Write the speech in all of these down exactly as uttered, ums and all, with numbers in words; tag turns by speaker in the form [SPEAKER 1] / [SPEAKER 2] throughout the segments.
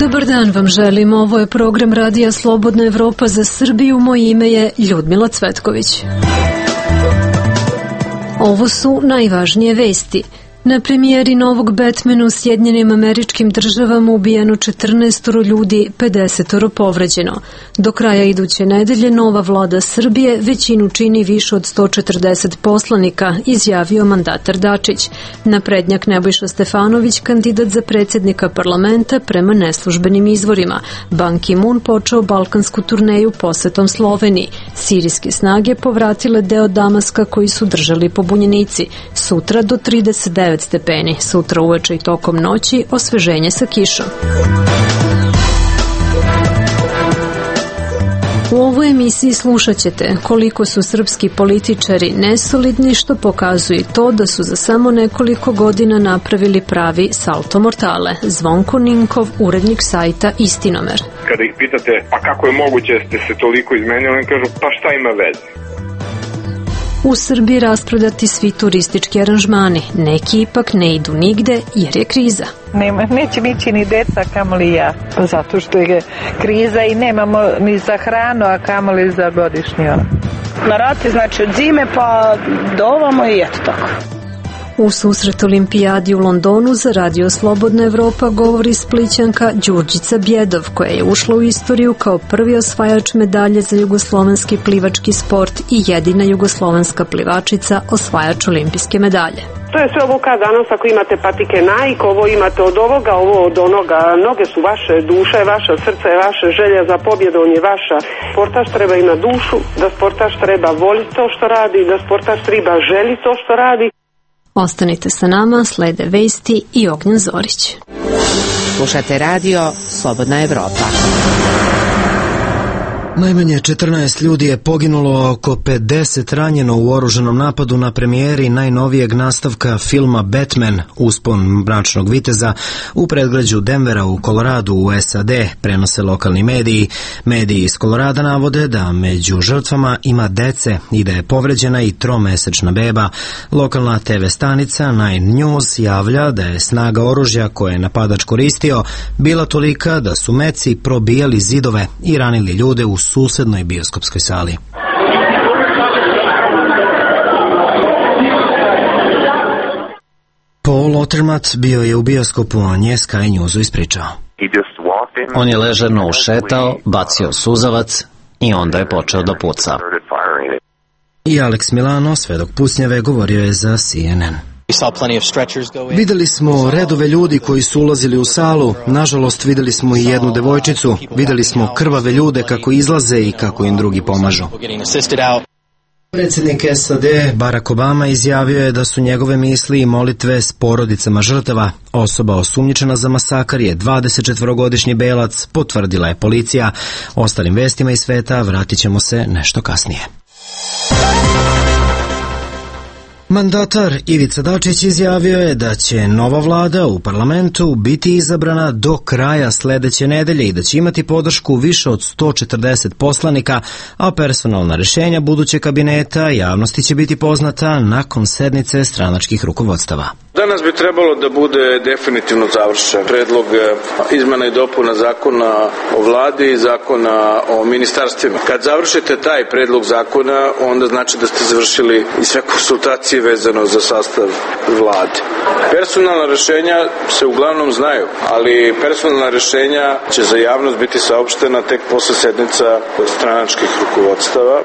[SPEAKER 1] Dobar dan vam želim, ovo je program Radija Slobodna Evropa za Srbiju, moje ime je Ljudmila Cvetković. Ovo su najvažnije vesti. Na premijeri novog Batmana u Sjedinjenim Američkim Državama ubijeno četrnaestoro ljudi, pedesetoro povređeno. Do kraja iduće nedelje nova vlada Srbije većinu čini više od sto četrdeset poslanika, izjavio mandatar Dačić. Naprednjak Nebojša Stefanović, kandidat za predsjednika parlamenta prema neslužbenim izvorima. Ban Ki-moon počeo balkansku turneju posetom Sloveniji. Sirijske snage povratile deo Damaska koji su držali pobunjenici. Sutra do trideset devet stepeni, sutra uveče i tokom noći osveženje sa kišom. U ovoj emisiji slušat ćete koliko su srpski političari nesolidni, što pokazuje to da su za samo nekoliko godina napravili pravi salto mortale. Zvonko Ninkov, urednik sajta Istinomer.
[SPEAKER 2] Kada ih pitate, pa kako je moguće ste se toliko izmenili, oni kažu, pa šta ima veze?
[SPEAKER 1] U Srbiji rasprodati svi turistički aranžmani. Neki ipak ne idu nigde jer je kriza.
[SPEAKER 3] Nema, neće nići ni deca, kamoli ja. Zato što je kriza i nemamo ni za hranu, a kamoli za godišnji.
[SPEAKER 4] Na rati, znači od zime pa do ovamo i eto tako.
[SPEAKER 1] U susret olimpijadi u Londonu za Radio Slobodna Evropa govori Splićanka Đurđica Bjedov, koja je ušla u istoriju kao prvi osvajač medalje za jugoslovenski plivački sport i jedina jugoslovenska plivačica osvajač olimpijske medalje.
[SPEAKER 5] To je sve obuka danas, ako imate patike Nike, ovo imate od ovoga, ovo od onoga. Noge su vaše, duša je vaša, srce je vaše, želja za pobjedom je vaša. Sportaš treba imati dušu, da sportaš treba voliti to što radi, da sportaš treba želi to što radi.
[SPEAKER 1] Ostanite sa nama, slede vesti i Ognjen Zorić.
[SPEAKER 6] Slušate radio Slobodna Evropa.
[SPEAKER 7] Najmanje četrnaest ljudi je poginulo, oko pedeset ranjeno u oružanom napadu na premijeri najnovijeg nastavka filma Batman, Uspon mračnog viteza, u predgrađu Denvera u Koloradu u S A D, prenose lokalni mediji. Mediji iz Kolorada navode da među žrtvama ima dece i da je povređena i tromesečna beba. Lokalna T V stanica Nine News javlja da je snaga oružja koje je napadač koristio bila tolika da su meci probijali zidove i ranili ljude u susednoj bioskopskoj sali. Paul Otermatt bio je u bioskopu, a nje Sky Newsu ispričao.
[SPEAKER 8] On je ležerno ušetao, bacio suzavac i onda je počeo da puca.
[SPEAKER 7] I Alex Milano, svedok pucnjave, govorio je za C N N. Videli smo redove ljudi koji su ulazili u salu, nažalost videli smo i jednu devojčicu, videli smo krvave ljude kako izlaze i kako im drugi pomažu. Predsjednik S A D Barack Obama izjavio je da su njegove misli i molitve s porodicama žrtava. Osoba osumnjičena za masakar je dvadesetčetvorogodišnji belac, potvrdila je policija. Ostalim vestima iz sveta vratit ćemo se nešto kasnije. Mandatar Ivica Dačić izjavio je da će nova vlada u parlamentu biti izabrana do kraja sledeće nedelje i da će imati podršku više od sto četrdeset poslanika, a personalna rešenja budućeg kabineta javnosti će biti poznata nakon sednice stranačkih rukovodstava.
[SPEAKER 9] Danas bi trebalo da bude definitivno završen predlog izmena i dopuna zakona o vladi i zakona o ministarstvima. Kad završite taj predlog zakona, onda znači da ste završili i sve konsultacije vezano za sastav vlade. Personalna rešenja se uglavnom znaju, ali personalna rešenja će za javnost biti saopštena tek posle sednica stranačkih rukovodstava.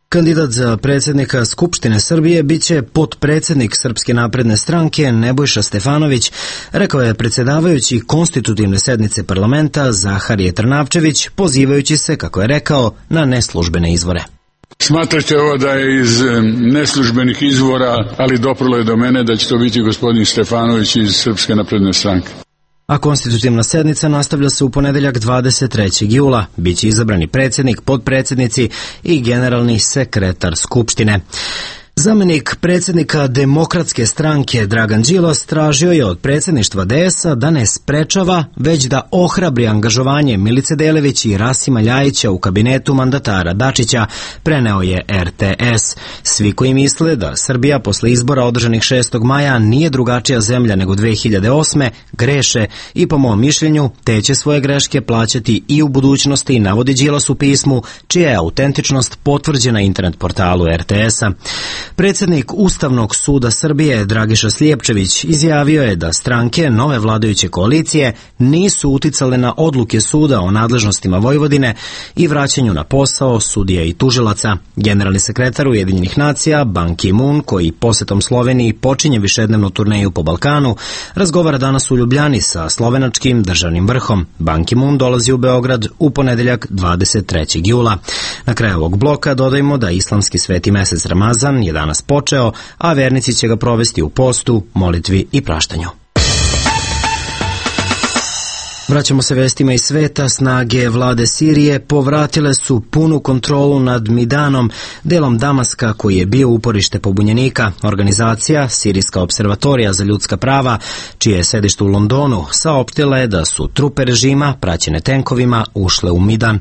[SPEAKER 7] Kandidat za predsjednika Skupštine Srbije biće potpredsjednik Srpske napredne stranke Nebojša Stefanović, rekao je predsjedavajući konstitutivne sednice parlamenta Zaharije Trnavčević, pozivajući se, kako je rekao, na neslužbene izvore.
[SPEAKER 10] Smatrate ovo da je iz neslužbenih izvora, ali doprlo je do mene da će to biti gospodin Stefanović iz Srpske napredne stranke.
[SPEAKER 7] A konstitutivna sednica nastavlja se u ponedeljak dvadeset trećeg jula. Biće izabrani predsjednik, potpredsjednici i generalni sekretar Skupštine. Zamenik predsjednika Demokratske stranke Dragan Đilas tražio je od predsjedništva D S A da ne sprečava, već da ohrabri angažovanje Milice Delević i Rasima Ljajića u kabinetu mandatara Dačića, preneo je R T S. Svi koji misle da Srbija posle izbora održanih šestog maja nije drugačija zemlja nego dve hiljade osme, greše i po mom mišljenju te će svoje greške plaćati i u budućnosti, navodi Đilas u pismu, čija je autentičnost potvrđena internet portalu R T S-a. Predsjednik Ustavnog suda Srbije Dragiša Slijepčević izjavio je da stranke nove vladajuće koalicije nisu uticale na odluke suda o nadležnostima Vojvodine i vraćanju na posao sudija i tužilaca. Generalni sekretar Ujedinjenih nacija Ban Ki-moon, koji posetom Sloveniji počinje višednevnu turneju po Balkanu, razgovara danas u Ljubljani sa slovenačkim državnim vrhom. Ban Ki-moon dolazi u Beograd u ponedeljak dvadeset trećeg jula. Na kraju ovog bloka dodajmo da islamski sveti mesec Ramazan je danas počeo, a vernici će ga provesti u postu, molitvi i praštanju. Vraćamo se vestima iz sveta. Snage vlade Sirije povratile su punu kontrolu nad Midanom, delom Damaska koji je bio uporište pobunjenika. Organizacija Sirijska observatorija za ljudska prava, čije je sedište u Londonu, saopštila je da su trupe režima, praćene tenkovima, ušle u Midan.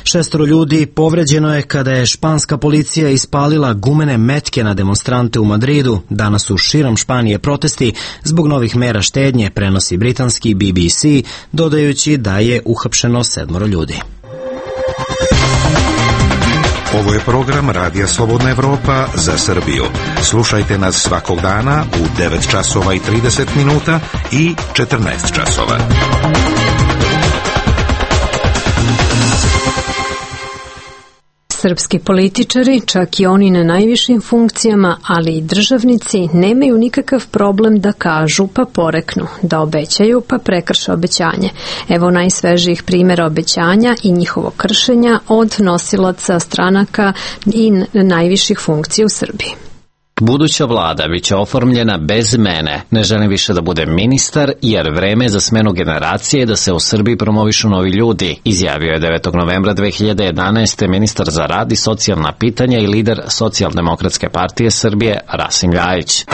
[SPEAKER 7] Šestoro ljudi povređeno je kada je španska policija ispalila gumene metke na demonstrante u Madridu. Danas su širom Španije protesti zbog novih mera štednje, prenosi britanski B B C, dodajući da je uhapšeno sedmoro ljudi.
[SPEAKER 11] Ovo je program Radija Slobodna Evropa za Srbiju. Slušajte nas svakog dana u devet časova i trideset minuta i četrnaest časova.
[SPEAKER 1] Srpski političari, čak i oni na najvišim funkcijama, ali i državnici, nemaju nikakav problem da kažu pa poreknu, da obećaju pa prekrše obećanje. Evo najsvežijih primjera obećanja i njihovog kršenja od nosilaca stranaka i najviših funkcija u Srbiji.
[SPEAKER 8] Buduća vlada biće oformljena bez mene. Ne želim više da budem ministar, jer vreme je za smenu generacije da se u Srbiji promovišu novi ljudi, izjavio je devetog novembra dve hiljade jedanaeste. ministar za rad i socijalna pitanja i lider Socijaldemokratske partije Srbije Rasim Ljajić.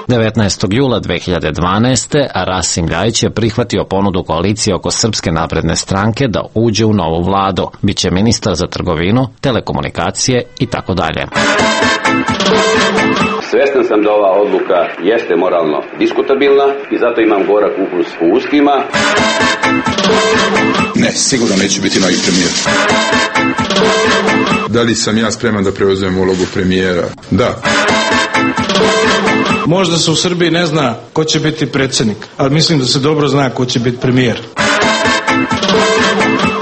[SPEAKER 8] devetnaestog jula dve hiljade dvanaeste. Rasim Ljajić je prihvatio ponudu koalicije oko Srpske napredne stranke da uđe u novu vladu. Biće ministar za trgovinu, telekomunikacije i tako dalje.
[SPEAKER 12] Svestan sam da ova odluka jeste moralno diskutabilna i zato imam gorak ukus u ustima.
[SPEAKER 10] Ne, sigurno neću biti novi premijer. Da li sam ja spreman da preuzmem ulogu premijera? Da.
[SPEAKER 13] Možda se u Srbiji ne zna ko će biti predsjednik, ali mislim da se dobro zna ko će biti premijer.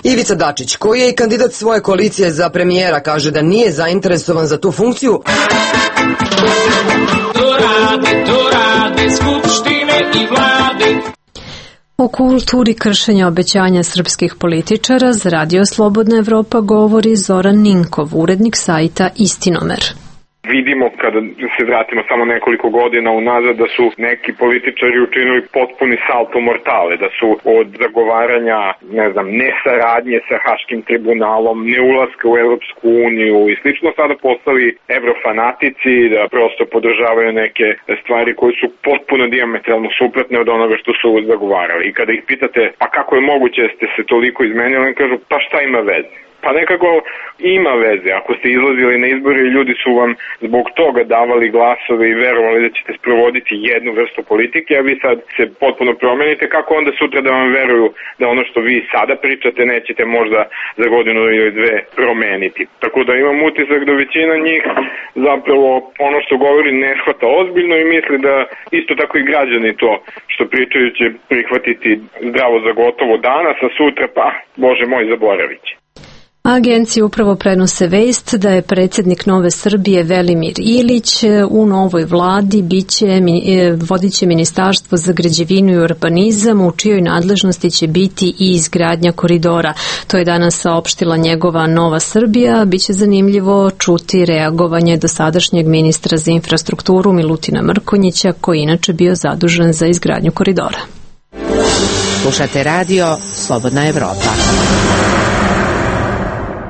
[SPEAKER 14] Ivica Dačić, koji je i kandidat svoje koalicije za premijera, kaže da nije zainteresovan za tu funkciju.
[SPEAKER 15] To rade, to rade skupštine i vlade.
[SPEAKER 1] O kulturi kršenja obećanja srpskih političara za Radio Slobodna Evropa govori Zoran Ninkov, urednik sajta Istinomer.
[SPEAKER 2] Vidimo kada se vratimo samo nekoliko godina unazad da su neki političari učinili potpuni salto mortale, da su od zagovaranja, ne znam, nesaradnje sa Haškim tribunalom, neulaska u Evropsku uniju i slično sada postali evrofanatici, da prosto podržavaju neke stvari koje su potpuno dijametralno suprotne od onoga što su zagovarali. I kada ih pitate, pa kako je moguće da ste se toliko izmenili, oni kažu, pa šta ima veze? Pa nekako ima veze. Ako ste izlazili na izbore i ljudi su vam zbog toga davali glasove i verovali da ćete sprovoditi jednu vrstu politike, a vi sad se potpuno promenite, kako onda sutra da vam veruju da ono što vi sada pričate nećete možda za godinu ili dve promeniti. Tako da imam utisak da većina njih zapravo ono što govori ne shvata ozbiljno i misli da isto tako i građani to što pričaju će prihvatiti zdravo za gotovo danas, a sutra pa, Bože moj, zaboravit će.
[SPEAKER 1] Agencije upravo prenose vest da je predsjednik Nove Srbije Velimir Ilić u novoj vladi biće, vodit će Ministarstvo za građevinu i urbanizam, u čijoj nadležnosti će biti i izgradnja koridora. To je danas saopštila njegova Nova Srbija. Biće zanimljivo čuti reagovanje dosadašnjeg ministra za infrastrukturu Milutina Mrkonjića, koji inače bio zadužen za izgradnju koridora.
[SPEAKER 6] Slušate radio Slobodna Evropa.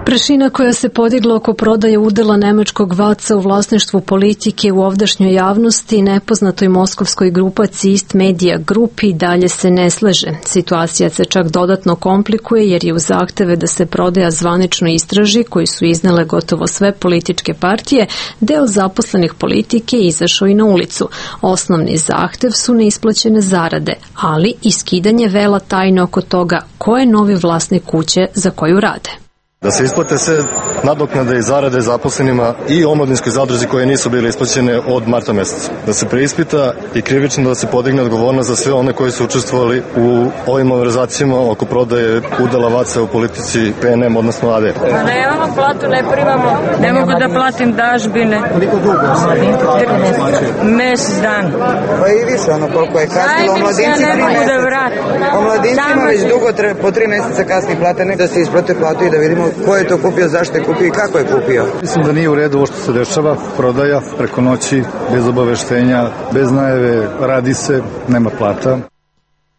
[SPEAKER 1] Prašina koja se podigla oko prodaje udela nemačkog vaca u vlasništvu politike u ovdašnjoj javnosti nepoznatoj moskovskoj grupaciji East Media Group i dalje se ne slaže. Situacija se čak dodatno komplikuje jer je u zahteve da se prodaja zvanično istraži, koji su iznele gotovo sve političke partije, deo zaposlenih politike izašao i na ulicu. Osnovni zahtev su neisplaćene zarade, ali i skidanje vela tajne oko toga ko je novi vlasnik kuće za koju rade.
[SPEAKER 16] Da se isplate sve nadoknade i zarade zaposlenima i omladinskoj zadruzi koje nisu bile isplaćene od marta meseca. Da se preispita i krivično da se podigne odgovornost za sve one koji su učestvovali u ovim malverzacijama oko prodaje udela vaca u politici P N M, odnosno A D.
[SPEAKER 17] Nemamo platu, ne primamo, ne mogu da platim dažbine.
[SPEAKER 18] Koliko dugo ostali?
[SPEAKER 17] Mesec dan.
[SPEAKER 18] Pa i više, ono koliko je kasnilo. Omladinci tri meseca. Omladincima već dugo po tri meseca kasni plate, nek da se isplate platu i da vidimo ko je to kupio, zašto je kupio i kako je kupio.
[SPEAKER 16] Mislim da nije u redu ovo što se dešava, prodaja preko noći, bez obaveštenja, bez najave, radi se, nema plata.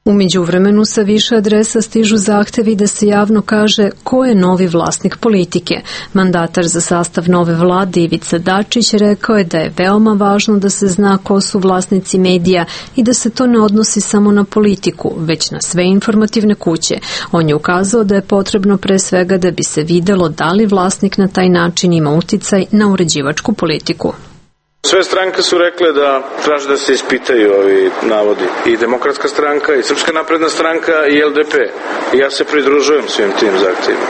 [SPEAKER 1] U međuvremenu sa više adresa stižu zahtevi da se javno kaže ko je novi vlasnik politike. Mandatar za sastav nove vlade Ivica Dačić rekao je da je veoma važno da se zna ko su vlasnici medija i da se to ne odnosi samo na politiku, već na sve informativne kuće. On je ukazao da je potrebno pre svega da bi se videlo da li vlasnik na taj način ima uticaj na uređivačku politiku.
[SPEAKER 9] Sve stranke su rekle da traže da se ispitaju ovi navodi. I Demokratska stranka, i Srpska napredna stranka, i L D P. I ja se pridružujem svim tim zahtjevima.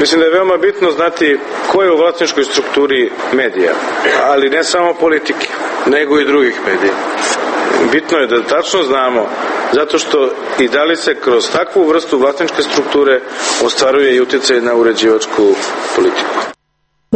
[SPEAKER 9] Mislim da je veoma bitno znati ko je u vlasničkoj strukturi medija, ali ne samo politike, nego i drugih medija. Bitno je da tačno znamo, zato što i da li se kroz takvu vrstu vlasničke strukture ostvaruje i utjecaj na uređivačku politiku.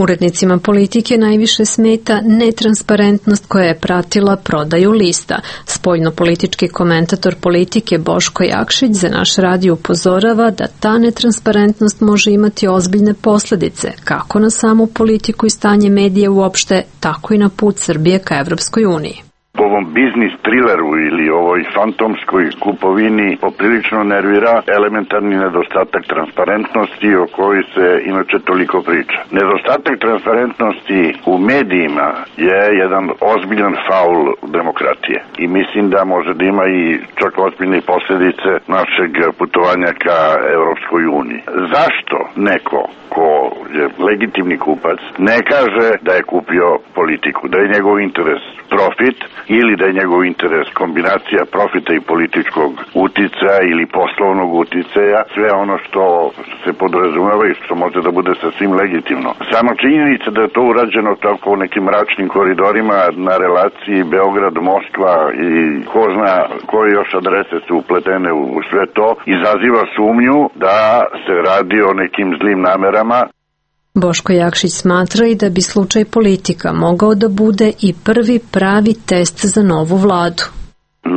[SPEAKER 1] Urednicima politike najviše smeta netransparentnost koja je pratila prodaju lista. Spoljno-politički komentator politike Boško Jakšić za naš radio upozorava da ta netransparentnost može imati ozbiljne posljedice, kako na samu politiku i stanje medija uopšte, tako i na put Srbije ka Evropskoj uniji.
[SPEAKER 19] Ovom biznis trileru ili ovoj fantomskoj kupovini poprilično nervira elementarni nedostatak transparentnosti o kojoj se inače toliko priča. Nedostatak transparentnosti u medijima je jedan ozbiljan faul demokratije i mislim da može da ima i čak ozbiljne posljedice našeg putovanja ka Evropskoj uniji. Zašto neko ko je legitimni kupac ne kaže da je kupio politiku, da je njegov interes profit ili da je njegov interes kombinacija profita i političkog uticaja ili poslovnog uticaja, sve ono što se podrazumeva i što može da bude sasvim legitimno. Samo činjenica da je to urađeno tako u nekim mračnim koridorima na relaciji Beograd-Moskva i ko zna koje još adrese su upletene u sve to, izaziva sumnju da se radi o nekim zlim namerama.
[SPEAKER 1] Boško Jakšić smatra i da bi slučaj politika mogao da bude i prvi pravi test za novu vladu.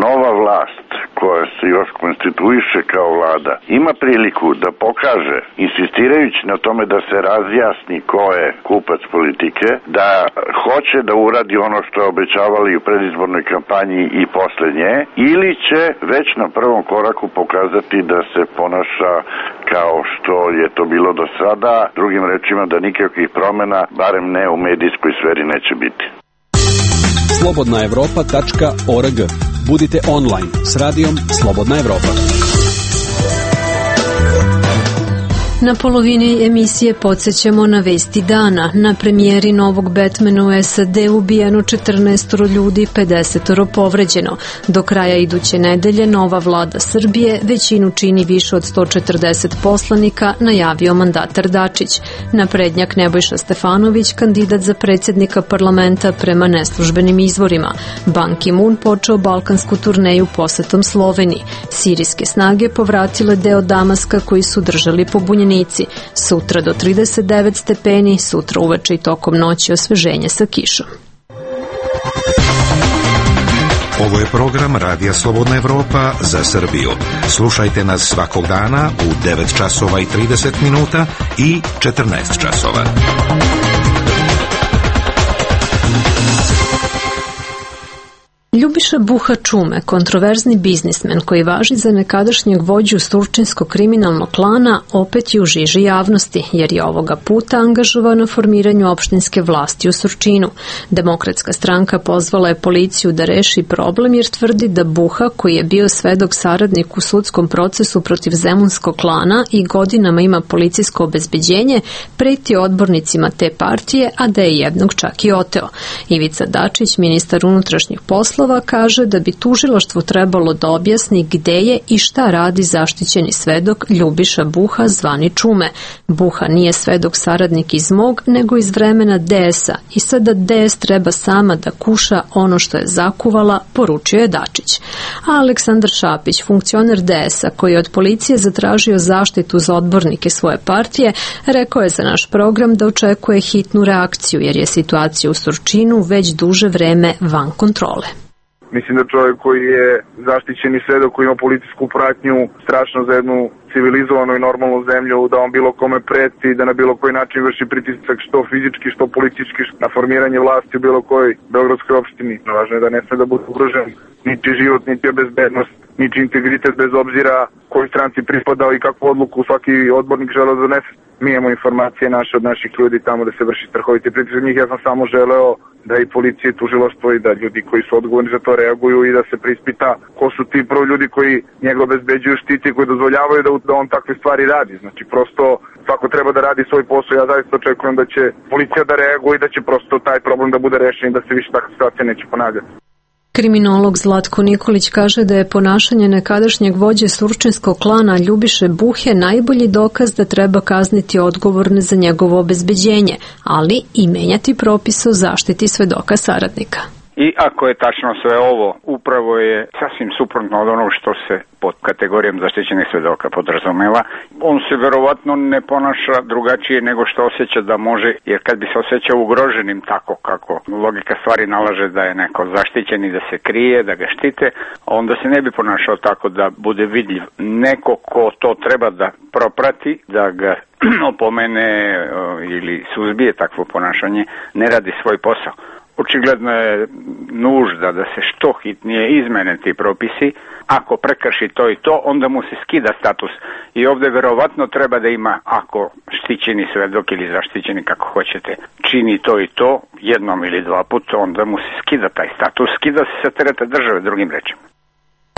[SPEAKER 19] Nova vlast koja se još konstituiše kao vlada ima priliku da pokaže, insistirajući na tome da se razjasni ko je kupac politike, da hoće da uradi ono što je obećavali u predizbornoj kampanji i posle nje, ili će već na prvom koraku pokazati da se ponaša kao što je to bilo do sada, drugim rečima da nikakvih promjena, barem ne u medijskoj sferi, neće biti.
[SPEAKER 20] slobodna evropa tačka org. Budite online s radijom Slobodna Evropa.
[SPEAKER 1] Na polovini emisije podsjećamo na vesti dana. Na premijeri novog Batmana u S A D ubijeno četrnaest ljudi, pedeset povređeno. Do kraja iduće nedelje nova vlada Srbije većinu čini više od sto četrdeset poslanika, najavio mandatar Dačić. Naprednjak Nebojša Stefanović, kandidat za predsjednika parlamenta prema neslužbenim izvorima. Ban Ki-moon počeo balkansku turneju posetom Sloveniji. Sirijske snage povratile deo Damaska koji su držali pobunjeni. Sutra do trideset devet stepeni, sutra uveče i tokom noći osveženje sa kišom.
[SPEAKER 11] Ovo je program Radija Slobodna Evropa za Srbiju. Slušajte nas svakog dana u devet časova i trideset minuta i četrnaest časova.
[SPEAKER 1] Ljubiša Buha Čume, kontroverzni biznismen koji važi za nekadašnjeg vođu surčinsko-kriminalnog klana, opet je u žiži javnosti, jer je ovoga puta angažovan na formiranju opštinske vlasti u Surčinu. Demokratska stranka pozvala je policiju da reši problem jer tvrdi da Buha, koji je bio svedok saradnik u sudskom procesu protiv zemunskog klana i godinama ima policijsko obezbeđenje, preti odbornicima te partije, a da je jednog čak i oteo. Ivica Dačić, ministar unutrašnjih poslova, kaže da bi tužilaštvo trebalo da objasni gde je i šta radi zaštićeni svedok Ljubiša Buha zvani Čume. Buha nije svedok saradnik iz mog, nego iz vremena D S-a i sada D S treba sama da kuša ono što je zakuvala, poručio je Dačić. A Aleksandar Šapić, funkcioner D S-a koji je od policije zatražio zaštitu za odbornike svoje partije, rekao je za naš program da očekuje hitnu reakciju jer je situacija u Surčinu već duže vreme van kontrole.
[SPEAKER 2] Mislim da čovjek koji je zaštićeni svedok, koji ima policijsku pratnju, strašno za jednu civilizovanu i normalnu zemlju, da on bilo kome preti, da na bilo koji način vrši pritisak što fizički, što politički, na formiranje vlasti u bilo kojoj beogradskoj opštini. Važno je da ne sme da bude ugrožen niti život, niti bezbednost, niti integritet, bez obzira kojoj stranci pripadao i kakvu odluku svaki odbornik želeo da donese. Mi imamo informacije naše od naših ljudi tamo da se vrši strahoviti pritisak. Njih ja sam samo želeo da i policija i tužilaštvo i da ljudi koji su odgovorni za to reaguju i da se preispita ko su ti prvo ljudi koji njega obezbeđuju, štiti, koji dozvoljavaju da, da on takve stvari radi. Znači prosto svako treba da radi svoj posao. Ja zaista očekujem da će policija da reaguje i da će prosto taj problem da bude rešen i da se više takva situacija neće ponavljati.
[SPEAKER 1] Kriminolog Zlatko Nikolić kaže da je ponašanje nekadašnjeg vođe surčinskog klana Ljubiše Buhe najbolji dokaz da treba kazniti odgovorne za njegovo obezbeđenje, ali i menjati propise o zaštiti svedoka saradnika.
[SPEAKER 21] I ako je tačno sve ovo, upravo je sasvim suprotno od onog što se pod kategorijom zaštićenih svedoka podrazumeva. On se verovatno ne ponaša drugačije nego što osjeća da može, jer kad bi se osjećao ugroženim tako kako logika stvari nalaže da je neko zaštićen i da se krije, da ga štite, onda se ne bi ponašao tako da bude vidljiv. Neko ko to treba da proprati, da ga opomene ili suzbije takvo ponašanje, ne radi svoj posao. Očigledno je nužda da se što hitnije izmene ti propisi. Ako prekrši to i to, onda mu se skida status. I ovdje verovatno treba da ima, ako štićeni svedok ili zaštićeni, kako hoćete, čini to i to jednom ili dva puta, onda mu se skida taj status. Skida se sa tereta države, drugim rečima.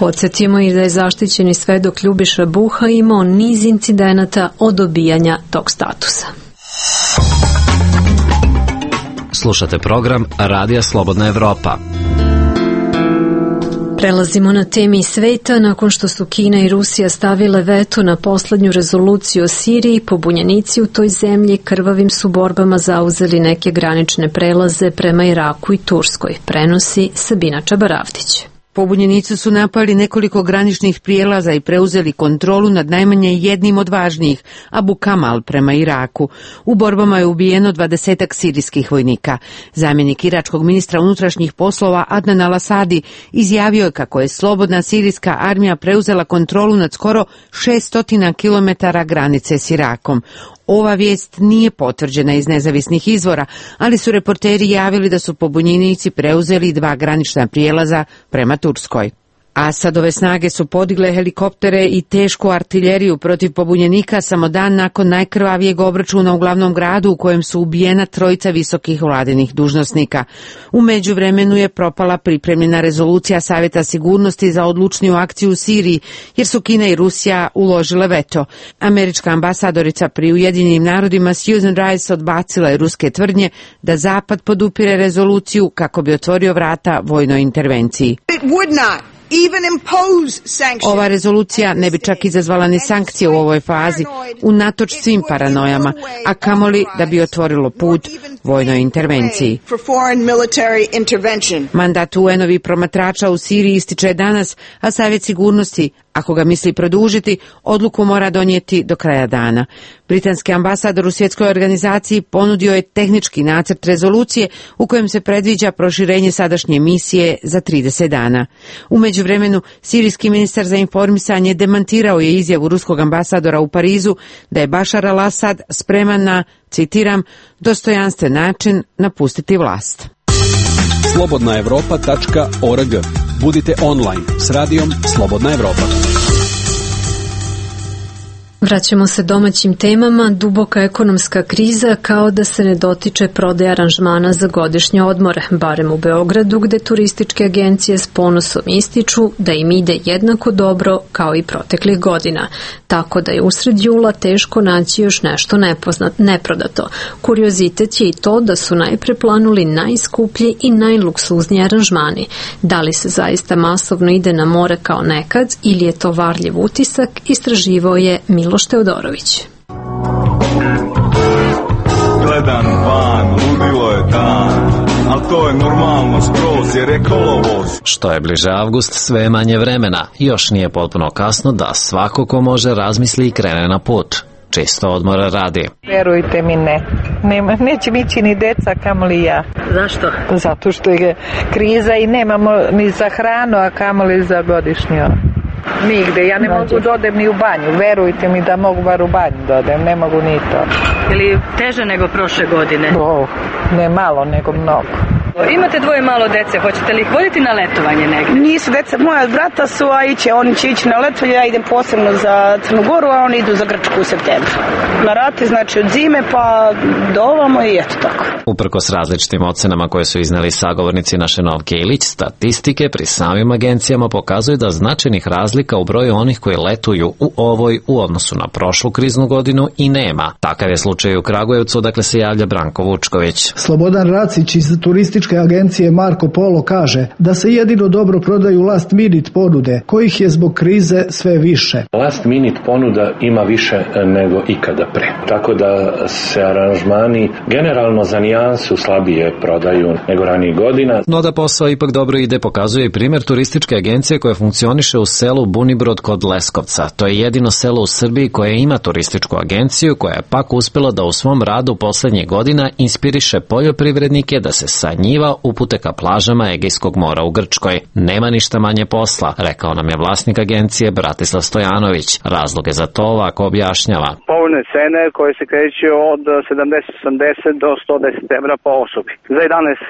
[SPEAKER 1] Podsjetimo i da je zaštićeni svedok Ljubiša Buha imao niz incidenata od dobijanja tog statusa.
[SPEAKER 8] Slušate program Radija Slobodna Evropa.
[SPEAKER 1] Prelazimo na temi sveta. Nakon što su Kina i Rusija stavile veto na poslednju rezoluciju o Siriji, pobunjenici u toj zemlji krvavim su borbama zauzeli neke granične prelaze prema Iraku i Turskoj, prenosi Sabina Čabaravdić.
[SPEAKER 22] Pobunjenici su napali nekoliko graničnih prijelaza i preuzeli kontrolu nad najmanje jednim od važnijih, Abu Kamal prema Iraku. U borbama je ubijeno dvadesetak sirijskih vojnika. Zamjenik iračkog ministra unutrašnjih poslova Adnan al-Asadi izjavio je kako je slobodna sirijska armija preuzela kontrolu nad skoro šesto kilometara granice s Irakom. Ova vijest nije potvrđena iz nezavisnih izvora, ali su reporteri javili da su pobunjenici preuzeli dva granična prijelaza prema Turskoj. Asadove snage su podigle helikoptere i tešku artiljeriju protiv pobunjenika samo dan nakon najkrvavijeg obračuna u glavnom gradu u kojem su ubijena trojica visokih vladinih dužnosnika. U međuvremenu je propala pripremljena rezolucija Savjeta sigurnosti za odlučniju akciju u Siriji, jer su Kina i Rusija uložile veto. Američka ambasadorica pri Ujedinjenim narodima Susan Rice odbacila je ruske tvrdnje da Zapad podupire rezoluciju kako bi otvorio vrata vojnoj intervenciji. Ova rezolucija ne bi čak izazvala ni sankcije u ovoj fazi, unatoč svim paranojama, a kamoli da bi otvorilo put vojnoj intervenciji. Mandat U N-ovih promatrača u Siriji ističe danas, a Savjet sigurnosti, ako ga misli produžiti, odluku mora donijeti do kraja dana. Britanski ambasador u svjetskoj organizaciji ponudio je tehnički nacrt rezolucije u kojem se predviđa proširenje sadašnje misije za trideset dana. U međuvremenu, sirijski ministar za informisanje demantirao je izjavu ruskog ambasadora u Parizu da je Bašar al-Asad spreman na, citiram, dostojanstven način napustiti vlast.
[SPEAKER 20] slobodna evropa tačka org. Budite online s radijom Slobodna Evropa.
[SPEAKER 1] Vraćamo se domaćim temama. Duboka ekonomska kriza kao da se ne dotiče prodaje aranžmana za godišnje odmore, barem u Beogradu, gde turističke agencije s ponosom ističu da im ide jednako dobro kao i proteklih godina. Tako da je usred jula teško naći još nešto nepoznat, neprodato. Kuriozitet je i to da su najpre planuli najskuplji i najluksuzniji aranžmani. Da li se zaista masovno ide na more kao nekad ili je to varljiv utisak, istraživao je Miloš Teodorović.
[SPEAKER 3] Gledam van, ludilo je dan, ali to je normalno skroz jer je kolovoz.
[SPEAKER 8] Što je bliže avgust, sve je manje vremena. Još nije potpuno kasno da svako ko može razmisli i krene na put. Čisto odmora radi.
[SPEAKER 4] Verujte mi, ne. Nema, neće mi ići ni deca, kamoli ja.
[SPEAKER 17] Zašto?
[SPEAKER 4] Zato što je kriza i nemamo ni za hranu, a kamoli za godišnju. Nigde, ja ne Znači. mogu da odem ni u banju, verujte mi da mogu bar u banju da odem, ne mogu ni to.
[SPEAKER 17] Ili teže nego prošle godine?
[SPEAKER 4] Oh, ne malo, nego mnogo.
[SPEAKER 17] Imate dvoje malo dece, hoćete li ih voditi na letovanje negdje?
[SPEAKER 23] Nisu deca, moja brata su, a iće, oni će ići na letovanje, ja idem posebno za Crnu Goru, a oni idu za Grčku u septembru. Na rate, znači od zime pa do ovamo i eto tako.
[SPEAKER 8] Uprkos različitim ocenama koje su izneli sagovornici naše Novke Ilić, statistike pri samim agencijama pokazuju da značajnih razlika u broju onih koji letuju u ovoj u odnosu na prošlu kriznu godinu i nema. Takav je slučaj u Kragujevcu, dakle se javlja Branko Vučković.
[SPEAKER 24] Slobodan Racić iz turističke agencije Marko Polo kaže da se jedino dobro prodaju last minute ponude, kojih je zbog krize sve više.
[SPEAKER 25] Last minute ponuda ima više nego ikada pre. Tako da se aranžmani generalno za nijansu slabije prodaju nego ranijih godina.
[SPEAKER 8] No da posao ipak dobro ide pokazuje i primjer turističke agencije koja funkcioniše u selu Bunibrod kod Leskovca. To je jedino selo u Srbiji koje ima turističku agenciju koja je pak uspela da u svom radu poslednjih godina inspiriše poljoprivrednike da se sa njiva upute ka plažama Egejskog mora u Grčkoj. Nema ništa manje posla, rekao nam je vlasnik agencije Bratislav Stojanović. Razloge za to ovako objašnjava.
[SPEAKER 26] Povoljne cene koje se kreću od sedamdeset osamdeset do sto deset evra po osobi. Za jedanaest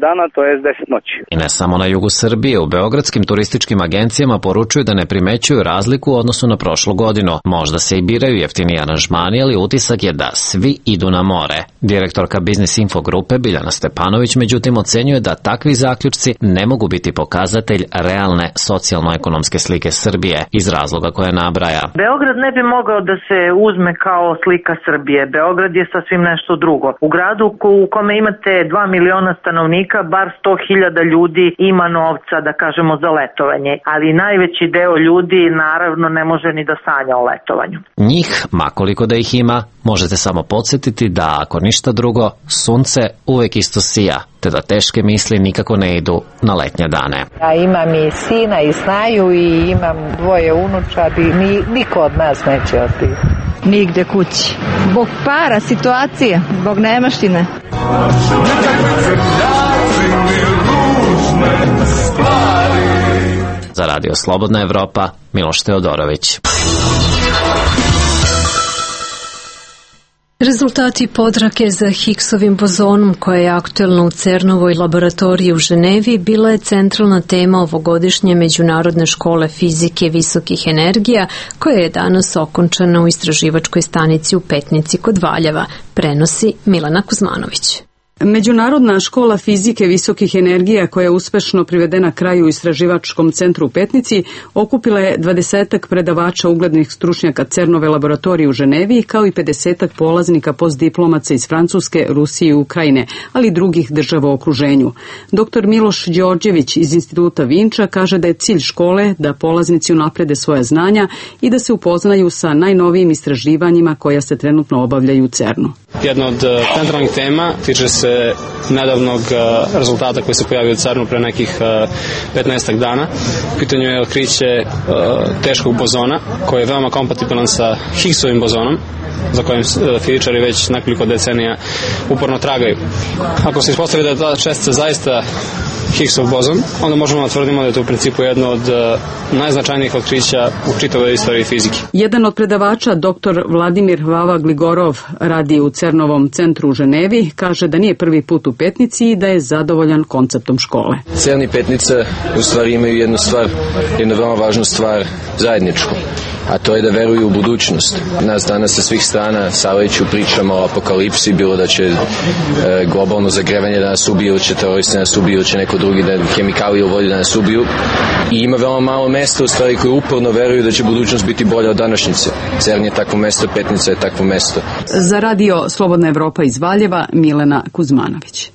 [SPEAKER 26] dana, to je deset noći.
[SPEAKER 8] I ne samo na jugu Srbije, u beogradskim turističkim agencijama poručuju da ne primećuju razliku u odnosu na prošlu godinu. Možda se i biraju jeftiniji aranžmani, ali utisak je da svi idu na more. Direktorka Biznis Info grupe Biljana Stepanović međutim ocenjuje da takvi zaključci ne mogu biti pokazatelj realne socijalno-ekonomske slike Srbije iz razloga koje nabraja.
[SPEAKER 27] Beograd ne bi mogao da se uzme kao slika Srbije. Beograd je sasvim nešto drugo. U gradu u kome imate dva miliona stanovnika, bar sto hiljada ljudi ima novca, da kažemo, za letovanje. Ali najveći deo ljudi naravno ne može ni da sanja o letovanju.
[SPEAKER 8] Njih, makoliko da ih ima, možete samo podsjetiti da ako ništa drugo, sunce uvek isto sija, te da teške misli nikako ne idu na letnje dane.
[SPEAKER 4] Ja imam i sina i snaju i imam dvoje unučadi, ni, niko od nas neće otići.
[SPEAKER 28] Nigde kući. Zbog para, situacije, zbog nemaštine.
[SPEAKER 8] Za Radio Slobodna Evropa, Miloš Teodorović.
[SPEAKER 1] Rezultati potrage za Higgsovim bozonom, koja je aktuelna u CERN-ovoj laboratoriji u Ženevi, bila je centralna tema ovogodišnje Međunarodne škole fizike visokih energija, koja je danas okončana u istraživačkoj stanici u Petnici kod Valjeva, prenosi Milana Kuzmanović.
[SPEAKER 29] Međunarodna škola fizike visokih energija, koja je uspešno privedena kraju u istraživačkom centru u Petnici, okupila je dvadesetak predavača uglednih stručnjaka CERN-ove laboratorije u Ženevi, kao i pedesetak polaznika postdiplomaca iz Francuske, Rusije i Ukrajine, ali i drugih država u okruženju. Doktor Miloš Đorđević iz Instituta Vinča kaže da je cilj škole da polaznici unaprede svoja znanja i da se upoznaju sa najnovijim istraživanjima koja se trenutno obavljaju u CERN-u.
[SPEAKER 30] Jedna od centralnih tema tiče se nedavnog rezultata koji se pojavio u CERN-u pre nekih petnaestak dana. U pitanju je otkriće teškog bozona koji je veoma kompatibilan sa Higgsovim bozonom, za kojim fizičari već nekoliko decenija uporno tragaju. Ako se ispostavi da je ta čestica zaista Higgsov bozon, onda možemo da tvrdimo da je to u principu jedno od najznačajnijih otkrića u čitavoj istoriji fizike.
[SPEAKER 29] Jedan od predavača, doktor Vladimir Vava Gligorov, radi u CERN-ovom centru u Ženevi, kaže da nije prvi put u Petnici i da je zadovoljan konceptom škole.
[SPEAKER 5] CERN i Petnica u stvari imaju jednu stvar, jednu veoma važnu stvar zajedničku, a to je da veruju u budućnost. Nas danas sa svih strana savleću pričama o apokalipsi, bilo da će e, globalno zagrevanje da nas ubije, ili će teroristi da nas ubiju, ili će neko drugi da hemikalije u vodi da nas ubiju. I ima veoma malo mesta u stvari koji uporno veruju da će budućnost biti bolja od današnjice. CERN je takvo mesto, Petnica je takvo mesto.
[SPEAKER 29] Za radio Slobodna Evropa iz Valjeva, Milena Kuzmanović.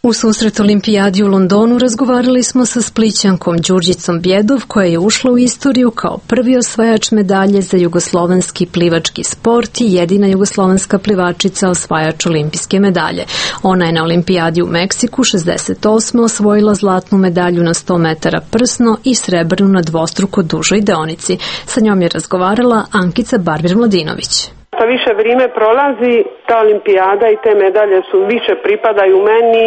[SPEAKER 1] U susret Olimpijadi u Londonu razgovarali smo sa Splićankom Đurđicom Bjedov, koja je ušla u istoriju kao prvi osvajač medalje za jugoslovenski plivački sport i jedina jugoslovenska plivačica osvajač olimpijske medalje. Ona je na Olimpijadi u Meksiku šezdeset osme osvojila zlatnu medalju na sto metara prsno i srebrnu na dvostruko dužoj deonici. Sa njom je razgovarala Ankica Barbir-Mladinović.
[SPEAKER 6] Što više vrijeme prolazi, ta olimpijada i te medalje su više pripadaju meni.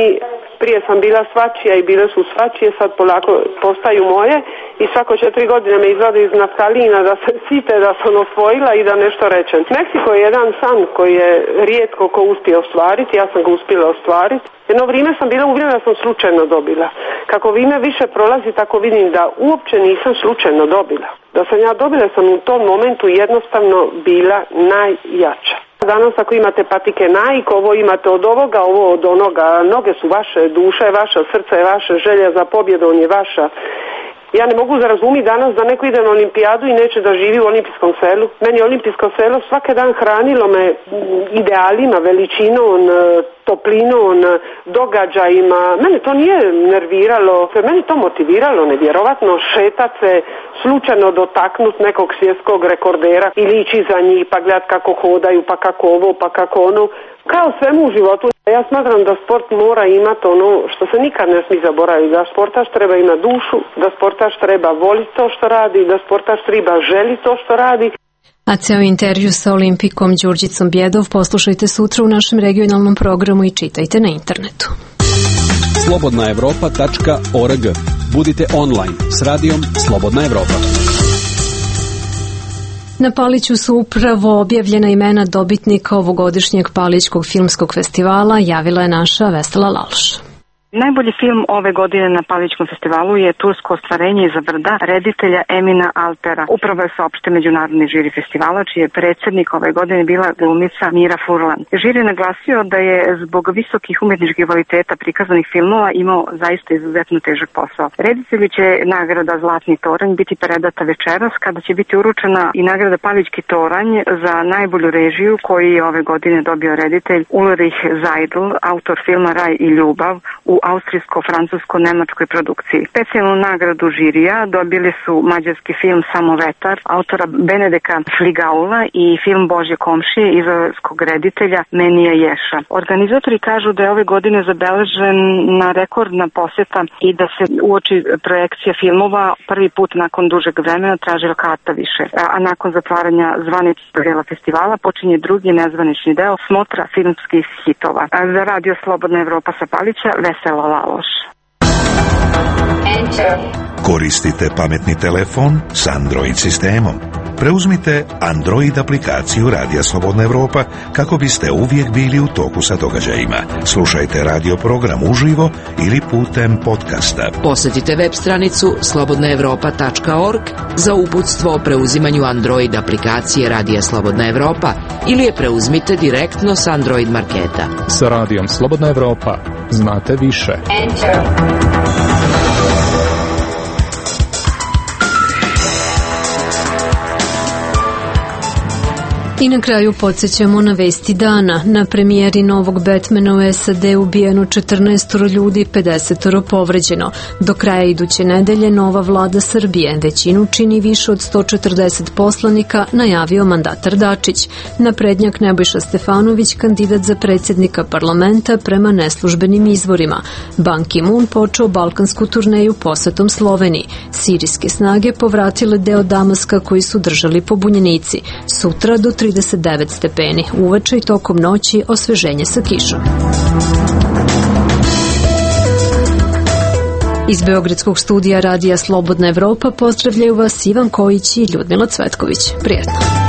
[SPEAKER 6] Prije sam bila svačija i bile su svačije, sad polako postaju moje i svako četiri godine me izvade iz naftalina da se site da sam osvojila i da nešto rečem. Meksiko je jedan san koji je rijetko ko uspije ostvariti, ja sam ga uspjela ostvariti. Jedno vrijeme sam bila uvjerena da sam slučajno dobila. Kako vrijeme više prolazi, tako vidim da uopće nisam slučajno dobila. Da sam ja dobila, sam u tom momentu jednostavno bila najjača. Danas ako imate patike Nike, ovo imate od ovoga, ovo od onoga, noge su vaše, duša je vaša, srce je vaše, želja za pobjedom je vaša. Ja ne mogu zarazumiti danas da neko ide na olimpijadu i neće da živi u olimpijskom selu. Meni je olimpijsko selo svaki dan hranilo me idealima, veličinom, toplinom, događajima. Mene to nije nerviralo, mene to motiviralo nevjerovatno šetat se, slučajno dotaknut nekog svjetskog rekordera ili ići za njih pa gledat kako hodaju, pa kako ovo, pa kako ono. Kao svemu u životu, ja smatram da sport mora imati ono što se nikad ne smije zaboraviti, da sportaš treba imati dušu, da sportaš treba voliti to što radi, da sportaš treba želiti to što radi.
[SPEAKER 1] A ceo intervju sa olimpikom Đurđicom Bjedov poslušajte sutra u našem regionalnom programu i čitajte na internetu.
[SPEAKER 20] slobodna evropa tačka org. Budite online s radijom Slobodna Evropa.
[SPEAKER 1] Na Paliću su upravo objavljena imena dobitnika ovogodišnjeg Palićkog filmskog festivala, javila je naša Vesela Lalš.
[SPEAKER 7] Najbolji film ove godine na Palićkom festivalu je Tursko ostvarenje iza brda reditelja Emina Altera. Upravo je saopštio međunarodni žiri festivala, čiji je predsjednik ove godine bila glumica Mira Furlan. Žiri je naglasio da je zbog visokih umjetničkih kvaliteta prikazanih filmova imao zaista izuzetno težak posao. Reditelju će nagrada Zlatni toranj biti predata večeras, kada će biti uručena i nagrada Palićki toranj za najbolju režiju, koji je ove godine dobio reditelj Ulrich Seidl, autor filma Raj i ljubav, u austrijsko-francusko-nemačkoj produkciji. Specijalnu nagradu žirija dobili su mađarski film Samo vetar, autora Benedeka Fligaula i film Božje komšije izraelskog reditelja Menija Ješa. Organizatori kažu da je ove godine zabeležena rekordna posjeta i da se uoči projekcija filmova prvi put nakon dužeg vremena tražila karta više. A nakon zatvaranja zvaničnog dela festivala počinje drugi nezvanični deo smotra filmskih hitova. A za radio Slobodna Evropa sa Palića, Vesela Laloš.
[SPEAKER 11] Koristite pametni telefon s Android sistemom. Preuzmite Android aplikaciju Radija Slobodna Evropa kako biste uvijek bili u toku sa događajima. Slušajte radio program uživo ili putem podcasta.
[SPEAKER 10] Posjetite web stranicu slobodna evropa tačka org za uputstvo o preuzimanju Android aplikacije Radija Slobodna Evropa ili je preuzmite direktno s Android marketa.
[SPEAKER 12] Sa Radijom Slobodna Evropa znate više. Enter.
[SPEAKER 1] I na kraju podsjećamo na vesti dana. Na premijeri novog Batmana u S A D ubijeno četrnaest ljudi, pedeset povređeno. Do kraja iduće nedelje nova vlada Srbije, većinu čini više od sto četrdeset poslanika, najavio mandatar Dačić. Naprednjak Nebojša Stefanović, kandidat za predsjednika parlamenta prema neslužbenim izvorima. Ban Ki-moon počeo balkansku turneju posetom Sloveniji. Sirijske snage povratile deo Damaska koji su držali pobunjenici. Sutra do trideset devet stepeni, uveče i tokom noći osveženje sa kišom. Iz Beogradskog studija Radija Slobodna Evropa pozdravljaju vas Ivan Kojić i Ljudmila Cvetković. Prijetno!